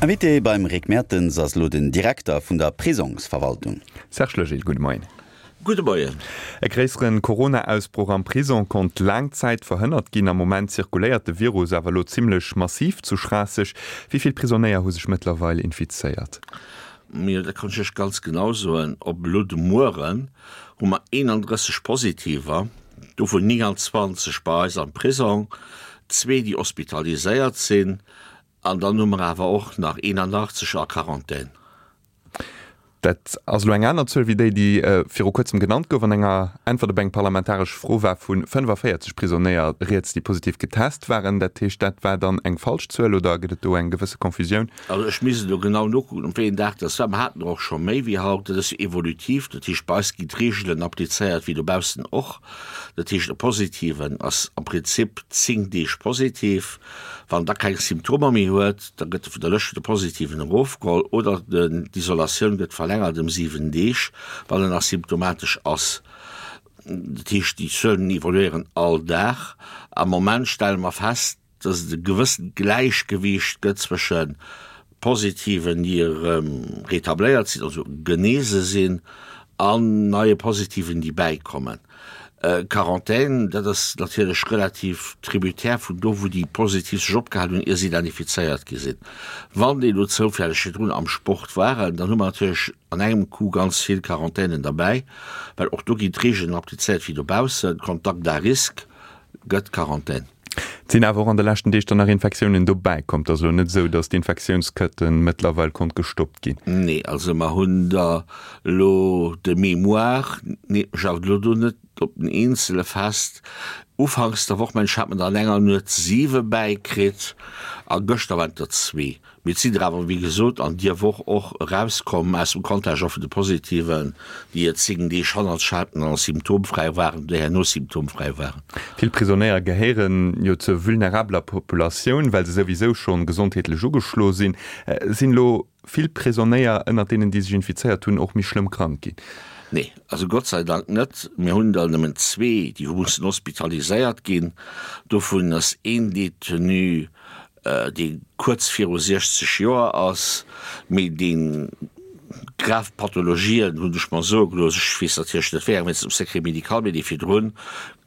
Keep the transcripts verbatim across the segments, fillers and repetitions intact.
Invité beim Rick Mertens ass elo den Direkter vun der Prisongsverwaltung. Serge Legil, gudde Moien. Gudde Moien. E gréissere Corona-Ausbroch am Prisong konnt laang Zäit verhënnert ginn. Am Moment zirkuléiert de Virus awer elo zimmlech massiv zu Schraasseg. Wéi vill Prisonéier hu sech mëttlerweil infizéiert? Jo, dat kann ech Iech ganz genau soen. Op elo de Mueren hu mer eenandrësseg Positiver, dovun nénganzwanzeg bei eis am Prisong, zwee, déi hospitaliséiert sinn, an dann hu mer awer och nach eenanachtzeg a Quarantän. Dat ass elo eng aner Zuel wéi déi, déi viru kuerzem genannt gouf. An enger Äntwert op eng parlamentaresch Fro war vu fënnefavéierzeg Prisonéier rieds, déi positiv getest waren. Dat heescht, dat war dann eng falsch Zuel oder gëtt et do eng gewësse Confusioun? Also ech misst elo genau nokucken, op wéi een Dag dat war. Mer haten der och scho méi wéi haut. Dat ass jo evolutiv, dat heescht, bei eis ginn d'Reegelen applizéiert wéi dobaussen och. Dat heescht, e Positiven ass am Prinzip zéng Deeg positiv. Wann da keng Symptomer méi huet, da gëtt e vun der Lëscht vun de Positiven erofgeholl oder d'Isolatioun gëtt verlängert ëm siwen Deeg, wann en nach symptomatesch ass. Dat heescht, déi Zuelen evoluéieren all Dag. Am Moment stelle mer fest, dass et e gewëssent Gläichgewiicht gëtt zwësche Positiven, déi erëm retabléiert sinn, also genese sinn, an neie Positiven, déi bäikommen. Quarantän, dat ass natierlech relativ tributaire vun do, wou déi Positiv sech opgehalen hunn, ier se identifizéiert gi sinn. Wann déi elo zoufälleg virdrun am Sport waren, dann hu mer natierlech an engem Coup ganz vill Quarantänen derbäi, well och do ginn d'Regeln applizéiert wéi dobaussen, Contact à risque gëtt Quarantän. Et sinn awer och an de leschten Deeg dann nach Infektiounen dobäi komm. Et ass elo net esou, datt d'Infektiounskëtte mëttlerweil konnt gestoppt ginn. Nee, also mer hunn der elo de mémoire, nee, ech awer elo do net op den eenzele fest. Ufanks der Woch, mengen ech, hat mer der an enger Nuet siwe bäikritt a gëschter waren et der zwee. Mee et sinn der awer, wéi gesot, an dier Woch och erauskomm aus dem Contagion vun de Positiven, déi et zéng Deeg hannert sech haten an symptomfräi waren oder herno symptomfräi waren. Vill Prisonéier gehéieren jo zur vulnerabeler Populatioun, well se souwisou schonn gesondheetlech ugeschloe sinn. Sinn elo vill Prisonéier ënnert deenen, déi sech infizéiert hunn, och méi schlëmm krank ginn? Nee, also Gott sei Dank net. Mir hunn der nëmmen zwee, déi hu mussen hospitaliséiert ginn. Dovun ass een Detenu, dee kuerz viru siechzeg Joer ass, mee dee grav Pathologien, hunn ech mer soe gelooss, ech weess natierlech net wéi eng, wéinst dem Secret médical, mee dee virdrun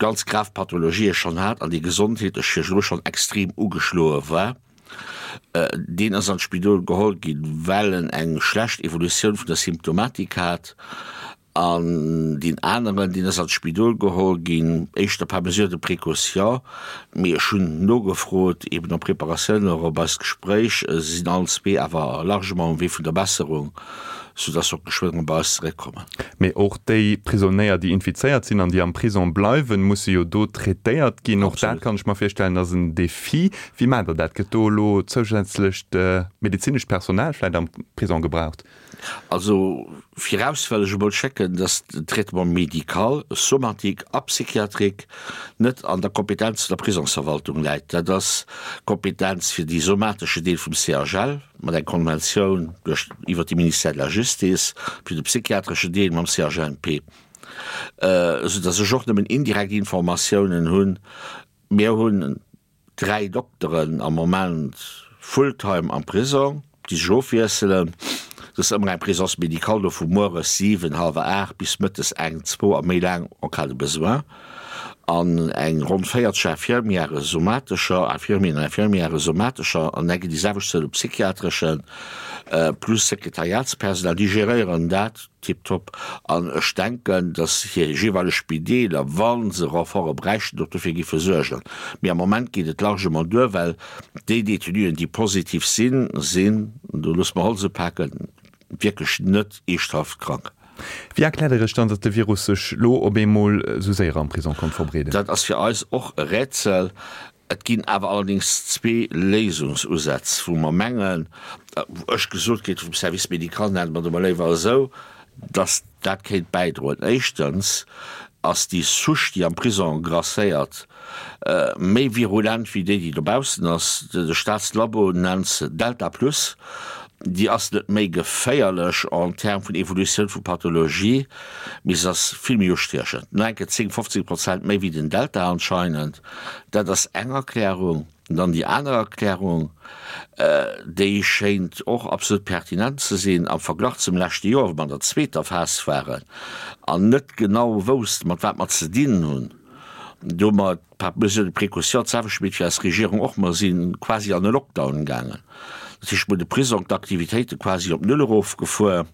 ganz grav Pathologië schonn hat an dee gesondheetlech virdru schonn extrem ugeschloe war. Deen ass an d'Spidol geholl ginn, well en eng schlecht Evolutioun vun der Symptomatik hat. An deen aneren, deen ass an d'Spidol geholl ginn, éischter par mesure de précaution. Mee ech hunn nogefrot, eben en Preparatioun och op eist Gespréich, se sinn allen zwee awer largement um Wee vun der Besserung, soudass se och geschwënn erëm bei eis zeréckkommen. Mee och déi Prisonéier, déi infizéiert sinn an déi am Prison bleiwen, musse jo do traitéiert ginn. Och dat, kann ech mer virstellen, ass en Defi. Wéi maacht Der dat? Gëtt do elo zousätzlecht medezinescht Personal vläicht am Prison gebraucht? Also viraus wëll ech emol schécken, dass den Traitement médical, somatique a psychiatrique net an der Kompetenz vun der Prisongsverwaltung läit. Dat ass d'Kompetenz fir dee somatesche Deel vum C H L mat enger Konventioun duerch iwwert de Ministère de la Justice, fir de psychiatresche Deel mam C H N P, soudass ech och nëmmen indirekt Informatiounen hunn. Mir hunn dräi Dokteren am Moment fulltime am Prisong, déi sech ofwiesselen. Et ass ëmmer eng Présence médicale do vu mueres siwen, hallwer aacht bis mëttes eng, zwou a méi laang en cas de besoin. An eng ronn véierzeg Infirmièrë somatescher, Infirmieren an Infirmièrë somatescher an eng déi selwecht Zuel u psychiatreschen, plus Sekretariatspersonal, déi geréieren dat tiptop. An ech denken, datt hir jeeweileg Spideeler, wa se Renforte bräichten, och dofir géife suergen. Mee am Moment geet et largement duer, well déi Détenuen, déi positiv sinn, sinn, do loosse mer Holz upaken, wierklech net eeschthaft krank. Wéi erkläert Der Iech dann, datt de Virus sech elo op eemol esou séier am Prisong konnt verbreeden? Dat ass fir eis och e Rätsel. Et ginn awer allerdéngs zwee Léisungsusätz, wou mer mengen, wou ech gesot kritt vum Service médical, nennen mer et emol léiwer esou, dass dat kéint bäidroen. Éischtens ass déi Souche, déi am Prisong grasséiert, méi virulent wéi déi, déi dobaussen ass. De Staatslabo nennt se Delta plus. Déi ass net méi geféierlech en termes vun Evolutioun vu Pathologie, mee se ass vill méi ustiechend, nach eng Kéier zéng, fofzéng Prozent méi wéi den Delta anscheinend. Dat ass eng Erklärung. Dann déi aner Erklärung, déi schéint och absolut pertinent ze sinn, am Verglach zum leschte Joer, wou mer an der zweeter Phas waren an net genau woussten, mat wat mer ze dinn hunn, do hu mer par mesure de précaution d'selwecht gemeet wéi eis Regierung och, mer si quasi an e Lockdown gaangen. Dat heescht, mer hunn de Prisong d'Aktivitéite quasi op Null erofgefuer,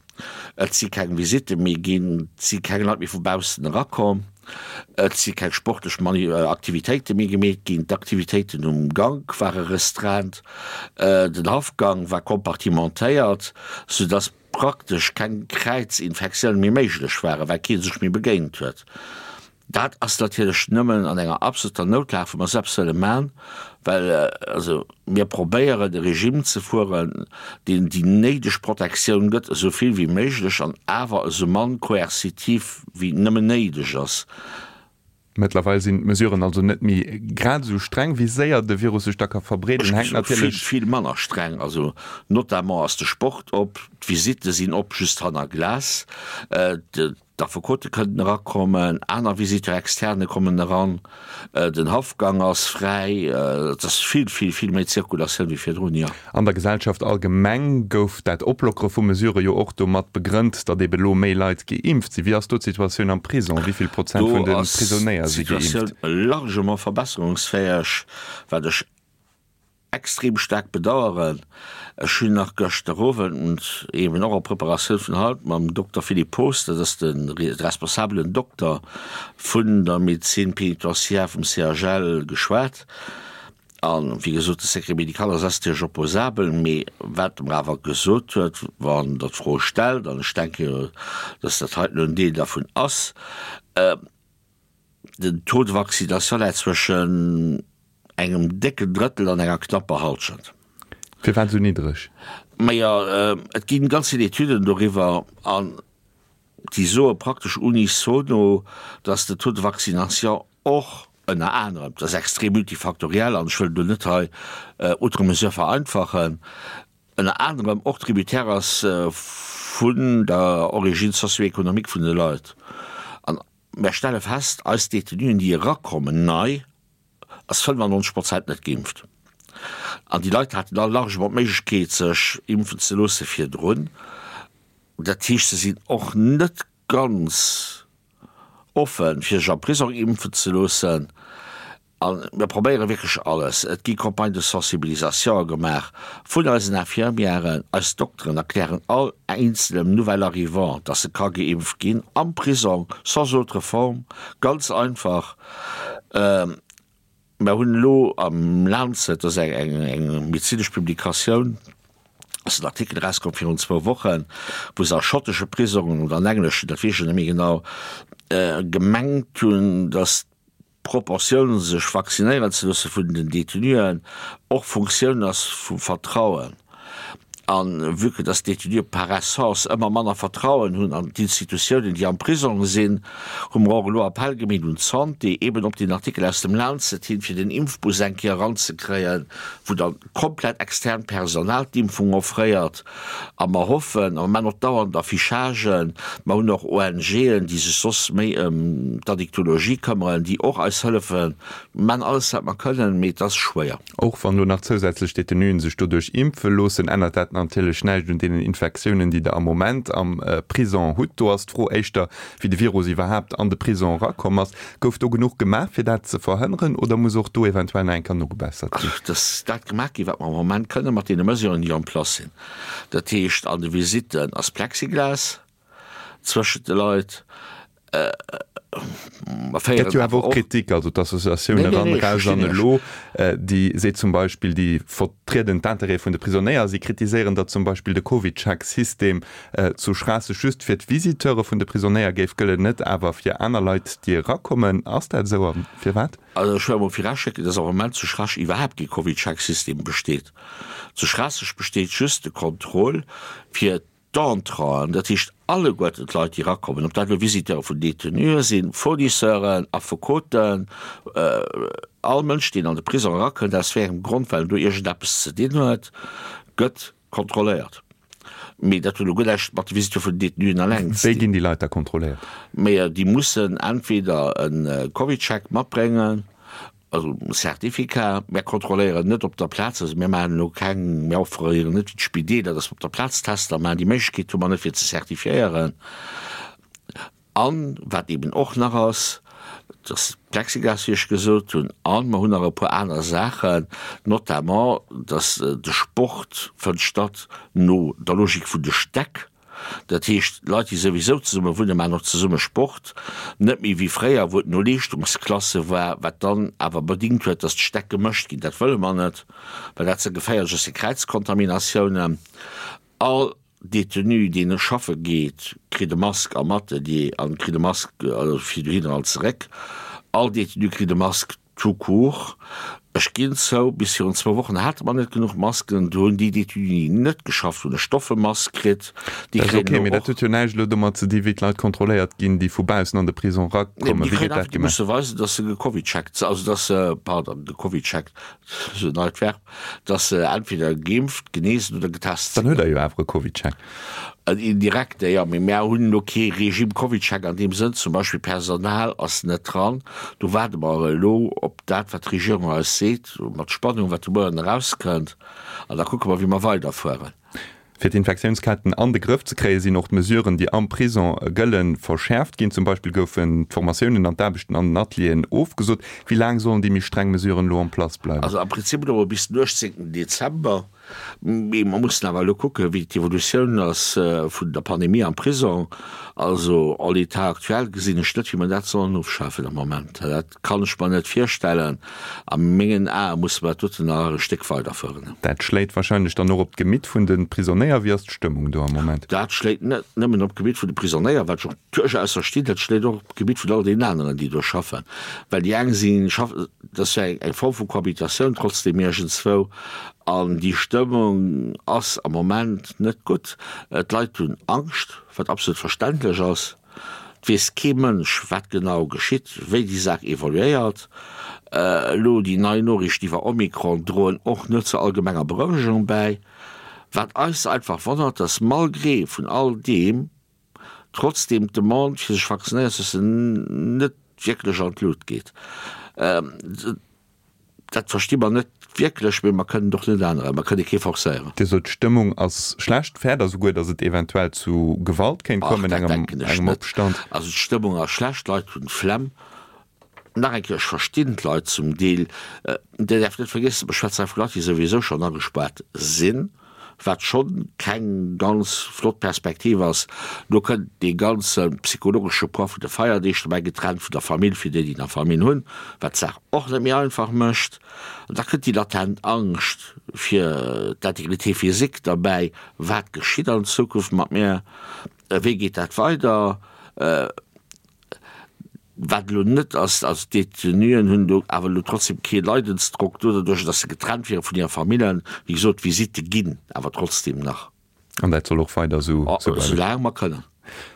et si keng Visitte méi ginn, et si keng Leit méi vu baussen erakomm. Et si keng sportlech Aktivitéite méi gemeet ginn, d'Aktivitéiten um Gank ware restreint, den Haffgang war kompartimentéiert, soudass praktesch keng Kräizinfektioune méi méiglech waren, well kee sech méi begéint huet. Dat ass natierlech nëmmen an enger absoluter Noutlag, wou mer selbst wëlle man, well also mir probéieren e Regime ze fueren, deen déi néideg Protektioun gëtt, esou vill wéi méiglech an awer esou mann koerzitiv wéi nëmmen néideg ass. Mëttlerweil sinn d'Mesuren also net méi grad esou streng. Wéi séier de Virus sech da ka verbreeden, hänkt natierlech. Vill, vill manner streng. Also notamment ass de Sport op, d'Visitte sinn op, just hanner Glas. D'Affekote kënnen erakommen, aner Visiteurs externes kommen eran, den Haffgang ass fräi, et ass vill, vill, vill méi Zirkulatioun wéi virdrun, jo. An der Gesellschaft allgemeng gouf dat Oplockere vu Mesurë jo och domat begrënnt, datt ebe lo méi Leit geimpft sinn. Wéi ass do d'Situatioun am Prisong? Wéi vill Prozent Do vun de ass Prisonéier si geimpft? d'Situatioun largement verbesserungsfäeg, wat ech extrem staark bedauern. Ech hunn nach gëschter Owend, eben och a Preparatioun vun haut, mam Dokter Philippe Poos, dat ass de responsabelen Dokter vun der Médecine pénitentiaire vum C H L, geschwat. A wéi gesot, de Secret médical ass natierlech opposabel, mee wat e mer awer gesot huet, wann Der d'Fro stellt, an ech denke, dass dat heiten en Deel dervun ass, Den Taux de vaccination läit zwëschen engem décken Drëttel an enger knapper Hallschent. Firwat esou niddreg? Majo, et ginn ganz vill Etüden doriwwer an déi soe praktesch unisono, dass de Taux de vaccination och ënner anerem, dat ass extrem multifaktoriell an ech wëll do net hei outre mesure vereinfachen, ënner anerem och tributaire ass vun der Origine socio-économique vun de Leit. An Mär stelle fest, eis Detenuen, déi erakommen nei, ass fënnefannonzeg Prozent net geimpft. An déi Leit haten all largement d'Méiglechkeet, sech impfen ze loosse virdrun. Dat heescht, se sinn och net ganz offen, fir sech am Prisong impfen ze loossen. A mir probéiere wierklech alles. Et gi Campagnes de sensibilisation gemaach vun eisen Infirmièren. Eis Dokteren erklären all eenzelem Nouvel arrivant, dass e ka geimpft ginn am Prisong, sans autre forme, ganz einfach. Mer hunn elo am Lancet, dat ass eng medezinesch Publikatioun, ass en Artikel erauskomm virun zwou Wochen, wou se a schottesche Prisongen oder an engleschen, dat weess ech net méi genau, gemengt hunn, dass d'Proportioun sech vaccinéieren ze loosse vun den Detenuen och Funktioun ass vum Vertrauen. A vue que dass d'Detenue par essence ëmmer manner Vertrauen hunn an d'Institutiounen, déi am Prisong sinn, hu mer och elo Appell gemeet un d'Santé, eben op deen Artikel aus dem Lancet hin, fir den Impfbus eng Kéier eranzekréien, wou dann komplett externt Personal d'Impfung offréiert. A mer hoffen, a mer maachen och dauernd Affichagen, mer hunn och O N G'en, déi sech soss méi ëm d'Addictologie këmmeren, déi och eis hëllefen. Mer maachen alles, wat mer kënnen, mee et ass schwéier. Och wann elo nach zousätzlech Detenuen sech doduerch impfe loossen, ännert dat natierlech näischt un deenen Infektiounen, déi Der am Moment am Prison hutt. Do ass d'Fro éischter, wéi de Virus iwwerhaapt an de Prison erakomm ass. Gouf do genuch gemaach, fir dat ze verhënneren, oder muss och do eventuell nach eng Kéier nogebessert ginn? Et ass dat gemaach ginn, wat mer am Moment kënnen, mat deene Mesuren, déi en place sinn. Dat heescht, an de Visitten ass Plexiglas zwëschent de Leit. Mer Gëtt féieren jo awer awer och och. Kritik, also d'Associatioun Nee, nee, Eran, nee, ech Raus verstinn an Iech. Elo, déi seet zum Beispill, déi vertrieden d'Intérêtë vun de Prisonéier. Si kritiséieren, datt zum Beispill de CovidCheck-System zu Schraasseg just fir d'Visiteure vun de Prisonéier géif gëllen, net awer fir aner Leit, déi erakommen. Ass dat esou a firwat? Also ech wëll emol viraschécken, dass am Moment zu Schraasseg iwwerhaapt kee CovidCheck-System besteet. Zu Schraasseg besteet just de Contrôle fir d'Entranten, dat heescht alleguerten d'Leit, déi erakommen, ob dat elo Visiteure vun Détenuë sinn, Fournisseuren, Affekoten, all Mënsch, deen an de Prisong erakënnt, aus wéi engem Grond, well en do iergendeppes ze dinn huet, gëtt kontrolléiert. Mee dat huet elo guer näischt mat de Visiteure vun den Détenuen eleng ze Wéi dinn. ginn déi Leit da kontrolléiert? Mee déi mussen entweder e CovidCheck matbréngen also Certificat. Mir kontrolléieren net op der Plaz, also mir maachen elo keng, mir offréieren net wéi d'Spideeler, dass mer op der Plaz Tester maachen. Déi Méiglechkeet hu mer net fir ze zertifiéieren. An wat eben och nach ass, dass Plexiglas, wéi ech gesot hunn, a mer hunn nach e puer aner Saachen, notamment dass de Sport fënnt statt no der Logik vun de Stäck. Dat heescht, Leit, déi souwisou zesumme wunnen, maachen och zesumme Sport. Net méi wéi fréier, wou et no Leeschtungsklasse war, wat dann awer bedingt huet, dass d'Stäck gemëscht ginn. Dat wëlle mer net, well dat ze geféierlech ass fir Kräizkontaminatiounen. All Detenu, deen schaffe geet, kritt e Mask am Atelier an kritt e Mask fir dohinner an zeréck. All Detenu kritt e Mask tout court. Ech ginn zou, bis virun zwou Wochen hate mer net genuch Masken. Do hunn déi Détenuen, déi net geschafft hunn, e Stoffemask kritt. Déi Dat ass kréien ok, elo mee dat och. huet jo näischt elo domat ze di wéi d'Leit kontrolléiert ginn, déi vu baussen an de Prison Nee, erakommen. déi Wéi kréien gëtt dat einfach, déi gemaach? musse weisen, dass se gecovidcheckt sinn, also dass se, pardon, gecovidcheckt, esou en neit Verb, dass se entweder geimpft, geneesen oder getest Dann sinn. huet Der jo awer e CovidCheck. En indirekte, jo, mee mär hunn elo kee Regime CovidCheck an deem Sënn. Zum Beispill Personal ass net dran. Do waarde mer elo op dat, wat d'Regierung eis seet, mat Spannung, wat de Mueren erauskënnt, an da kucke mer, wéi mer weiderfueren. Fir d'Infektiounsketten an de Grëff ze kréien, sinn och d'Mesuren, déi am Prison gëllen, verschäerft ginn. Zum Beispill goufen d'Formatiounen an d'Aarbechten an den Atelieren ofgesot. Wéi laang sollen déi méi streng Mesuren elo en place bleiwen? Also am Prinzip elo bis den uechtzéngten Dezember. Mee mer mussen awer elo kucken, wéi d'Evolutioun ass vun der Pandemie am Prisong. Also en l'état actuel gesinn ech net, wéi mer dat sollen ofschafen am Moment. Dat kann ech mer net virstellen. A mengen Ae musse mer dat doten nach e Stéck weiderföhren. Dat schléit wahrscheinlech dann och op d'Gemitt vun de Prisonéier. Wéi ass d'Stëmmung do am Moment? Dat schléit net nëmmen op d'Gemitt vun de Prisonéier, wat ech och duerchaus verstinn, dat schléit och op d'Gemitt vun all deenen aneren, déi do schaffen. Well déi eng si schaffen, dat ass jo eng Form vu Cohabitatioun trotzdem iergendswou, An déi Stëmmung ass am Moment net gutt. D'Leit hunn Angscht, wat absolut verständlech ass. Et weess kee Mënsch, wat genau geschitt, wéi déi Saach evoluéiert. Elo déi nei Noriichten iwwer Omikron droen och net zur allgemenger Berouegung bäi. Wat eis einfach wonnert, dass malgré vun all deem trotzdeem d'Demande fir sech vaccinéieren ze loossen net wierklech an d'Lut geet. Dat versti mer net wierklech, mee mer kënnen et och net änneren. Mer kënne kee forcéieren. Dir sot, d'Stëmmung ass schlecht. Fäert Der souguer, datt et eventuell zu Gewalt kéint Ach, kommen, dat engem, denken ech engem net. Opstand? Also d'Stëmmung ass schlecht, d'Leit hunn d'Flemm. Nach eng Kéier, ech verstinn d'Leit zum Deel. Dir däerft net vergiessen, mer schwätzen hei vu Leit, déi souwisou schonn agespaart sinn. wat schonn keng ganz flott Perspektiv ass. Do kënnt dee ganze psychologesche Poids vun de Feierdeeg dobäi, getrennt vun der Famill, fir déi, déi nach Famill hunn, wat d'Saach och net méi einfach mécht. An da kënnt déi latent Angscht fir d'Intégrité physique derbäi, Wat geschitt an Zukunft mat mir? Wéi geet dat weider? Wat elo net ass, also d'Detenuen hunn do awer elo trotzdem kee Leidensdrock do, doduerch datt se getrennt wiere vun hire Famillen. Wéi gesot, d'Visitte ginn awer trotzdem nach. An dat soll och weider esou bleiwen? Esou laang mer kënnen.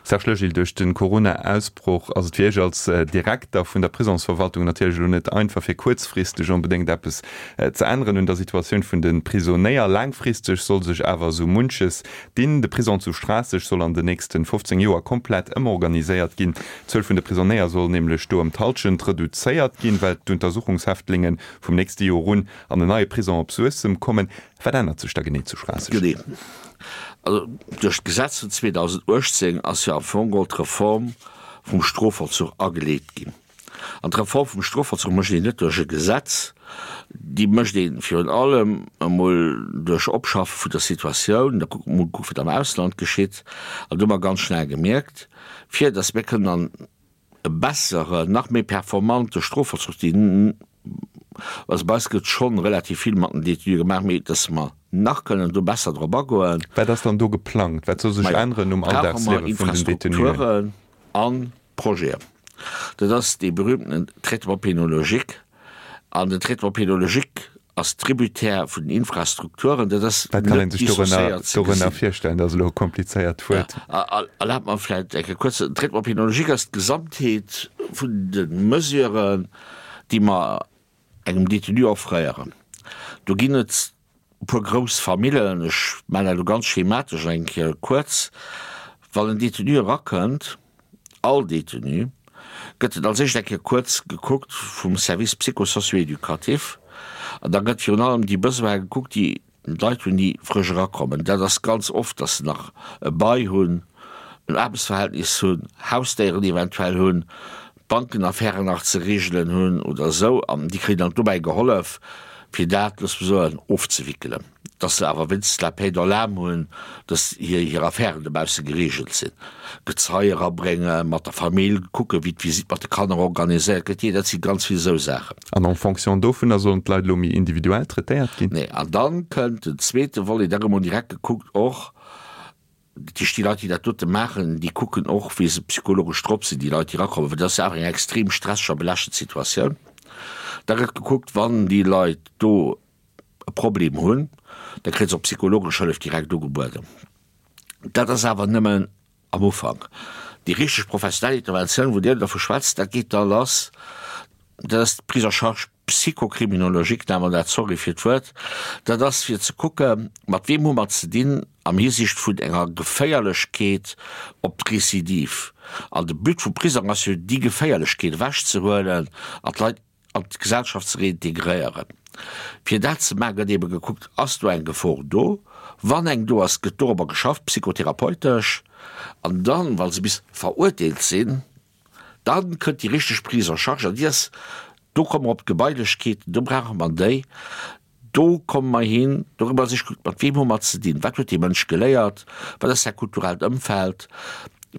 Serge Legil, duerch de Corona-Ausbroch ass et fir Iech als Direkter vun der Prisonsverwaltung natierlech elo net einfach, fir kuerzfristeg onbedéngt eppes ze änneren un der Situatioun vun de Prisonéier. Laangfristeg soll sech awer esou munches dinn. De Prison zu Schraasseg soll an den nächste fofzéng Joer komplett ëmorganiséiert ginn. D'Zuel vun de Prisonéier soll nämlech do ëm d'Hallschent reduzéiert ginn, well d'Untersuchungshäftlinge vum nächste Joer un an en neie Prison op Suessem kommen. Wat ännert sech da genee zu Schraasseg? Genee. Also duerch d'Gesetz vun zweedausenduechtzéng ass jo am Fong geholl d'Reform vum Strofvollzuch ageleet ginn. An d'Reform vum Strofvollzuch mécht een net duerch e Gesetz, déi mécht ee virun allem emol duerch Opschaffe vun der Situatioun. Da kuckt mol kuckt, wat am Ausland geschitt. An do hu mer ganz schnell gemierkt, fir datt mir kënnen an e besseren, nach méi performante Strofvollzuch, deen, also bei eis gëtt schonn relativ vill mat den Détenue gemaach, mee datt mer nach kënnen do besser drop agoen. Wat ass dann do geplangt? Wat soll sech Majo, änneren um brauche mer Alldagsliewe vun den Détenuen? Infrastrukturen a Projeten. Dat ass dee berühmtenen Traitement pénologique. An den Traitement pénologique ass tributaire vun den Infrastrukturen. Dat ass Wat kann net ee sech dorënner dissociéiert ze dorënner gesinn. virstellen? Dat ass elo e komplizéiert Wuert. Erlaabt mer vläicht eng Kéier kuerz, Den Traitement pénologique ass d'Gesamtheet vun de Mesuren, déi mer engem Détenu offréieren. Do ginn et e puer grouss Famillen, ech maachen dat elo ganz schematesch eng Kéier kuerz, Wann en Détenu erakënnt, all Détenu gëtt et als éischt eng Kéier kuerz gekuckt vum Service psycho-socio-éducatif an da gëtt virun allem déi Besoine gekuckt, déi d'Leit hunn, déi frësch erakommen. Dat ass ganz oft, dass se nach e Bail hunn, en Aarbechtsverhältnis hunn, Hausdéieren eventuell hunn, Bankenaffären nach ze regelen hunn oder esou an déi kréien dann dobäi gehollef, fir dat, loosse mer soen, ofzewickelen, dass se awer wéinstens la paix dans l'âme hunn, dass hir hir Affären dobausse geregelt sinn. Gezei erabréngen, mat der Famill kucken, wéi d'Visite mat de Kanner organiséiert gëtt, jee, dat si ganz vill esou Saachen. An en fonction dovunner sollen d'Leit elo méi individuell traitéiert ginn? Nee, an dann kënnt den zweete Volet, da gëtt emol direkt gekuckt och, Dat heescht, déi Leit, déi dat dote maachen, déi kucken och, wéi se psychologesch drop sinn, déi Leit, déi erakommen, well dat ass jo awer eng extrem stresseg a belaaschtend Situatioun. Da gëtt gekuckt, wann déi Leit do e Problem hunn, da kréie se och psychologesch Hëllef direkt ugebueden. Dat ass awer nëmmen am Ufank. Déi richteg professionell Interventioun, wou Dir dervu schwätzt, dat geet da lass, dat ass d'Prise en charge psychocriminologique nenne mer dat, sorry fir d'Wuert, dat ass fir ze kucke mat weem hu mer ze dinn am Hisiicht vun enger Geféierlechkeet op d'Récidive. An de But vum Prisong ass jo déi Geféierlechkeet ewechzehuelen an d'Leit an d'Gesellschaft ze reintegréieren. Fir dat ze maachen, gëtt eebe gekuckt, ass do eng Gefor do? Wann eng do ass, gëtt dorobber geschafft, psychotherapeutesch. An dann, wa se bis verurteelt sinn, da kënnt déi richteg Prise en charge an déi ass, do komme mer op d'Gebailechkeeten, do brauche mer déi, do komme mer hin, dorëmmer sech kuckt, mat weem hu mer ze dinn, wat huet dee Mënsch geléiert, wat ass säi kulturellt Ëmfeld,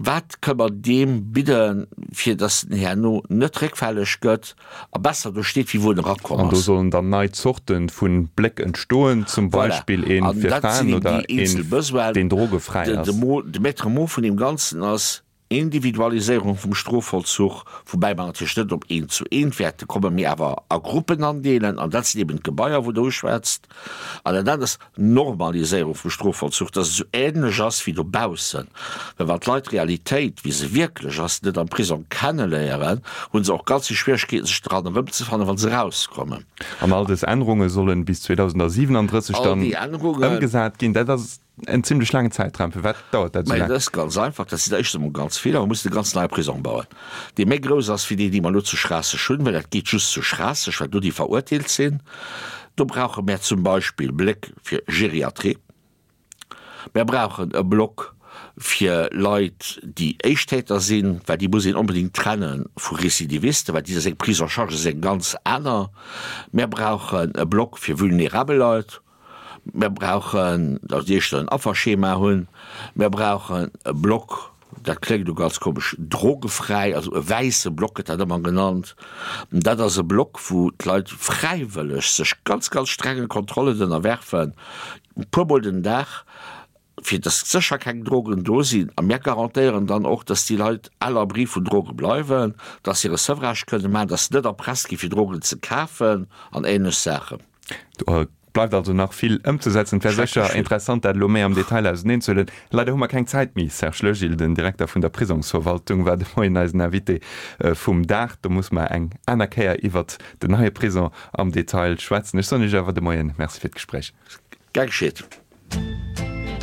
wat kënne mer deem bidden, fir datt en herno net réckfälleg gëtt a besser do steet, wéi wou en erakomm An do ass. sollen dann nei Zorte vu Bléck entstoen, zum Voilà. Beispill ee An fir dat sinn Fraen eben oder déi eenzel een, Besoinen. deen drogefräi De, de ass. Mot, de Maître mot vun deem Ganzen ass, Individualiséierung vum Strofvollzuch, woubäi mer natierlech net op eent zu eent wäerte kommen, mee awer a Gruppen andeelen, an dat sinn eben d'Gebaier, wou Der uschwätzt. An dat anert ass d'Normaliséierung vum Strofvollzuch, dass et esou änlech ass wéi dobaussen. Well wann d'Leit d'Realitéit, wéi se wierklech ass, net am Prisong kenneléieren, hu se och ganz vill Schwieregkeeten, sech dran erëmzefannen, wa se erauskommen. An all dës Ännerunge sollen bis zweedausendsiwenandrësseg All dann déi Ännerungen. ëmgesat ginn. Dat ass En zimlech laangen Zäitraum. Firwat dauert dat esou Mä laang? dat ass ganz einfach, dat sinn der éischtens emol ganz vill a mer mussen e ganz neie Prisong bauen, dee méi grouss ass wéi deen, dee mer elo zu Schraasseg hunn, well dat geet just zu Schraasseg, well do déi verurteelt sinn. Do brauche mär zum Beispill Bléck fir Geriatrie. Mär brauchen e Block fir Leit, déi Éischttäter sinn, well déi muss een onbedéngt trenne vu Récidivisten, well déi seng Prise en charge ass eng ganz aner. Mär brauchen e Block fir vulnerabel Leit. Mir brauchen, datt déi éischter en Afferschema hunn. Mir brauchen e Block, dat kléngt elo ganz komesch, drogefräi, also e wäisse Block gëtt dat ëmmer genannt. Dat ass e Block, wou d'Leit fräiwëlleg sech ganz, ganz strenge Kontrollen ënnerwerfen, e puermol den Dag, fir datt sécher keng Drogen do sinn. A mir garantéieren dann och, datt déi Leit à l'abri vun Droge bleiwen, datt se hire Sevrage kënne maachen, datt se net erpresst gi fir Drogen ze kafen an ähnlech Saachen. Do bleift also nach vill ëmzesetzen. Et wär Schrecklech sécher vill. interessant, dat elo méi am Detail auseneenzehuelen. Leider hu mer keng Zäit méi. Serge Legil, den Direkter vun der Prisongsverwaltung, war de Moien eisen Invité vum Dag. Do musse mer eng aner Kéier iwwert den neie Prisong am Detail schwätzen. Ech soen Iech awer de Moien Merci fir d'Gespréich. Gär geschéet.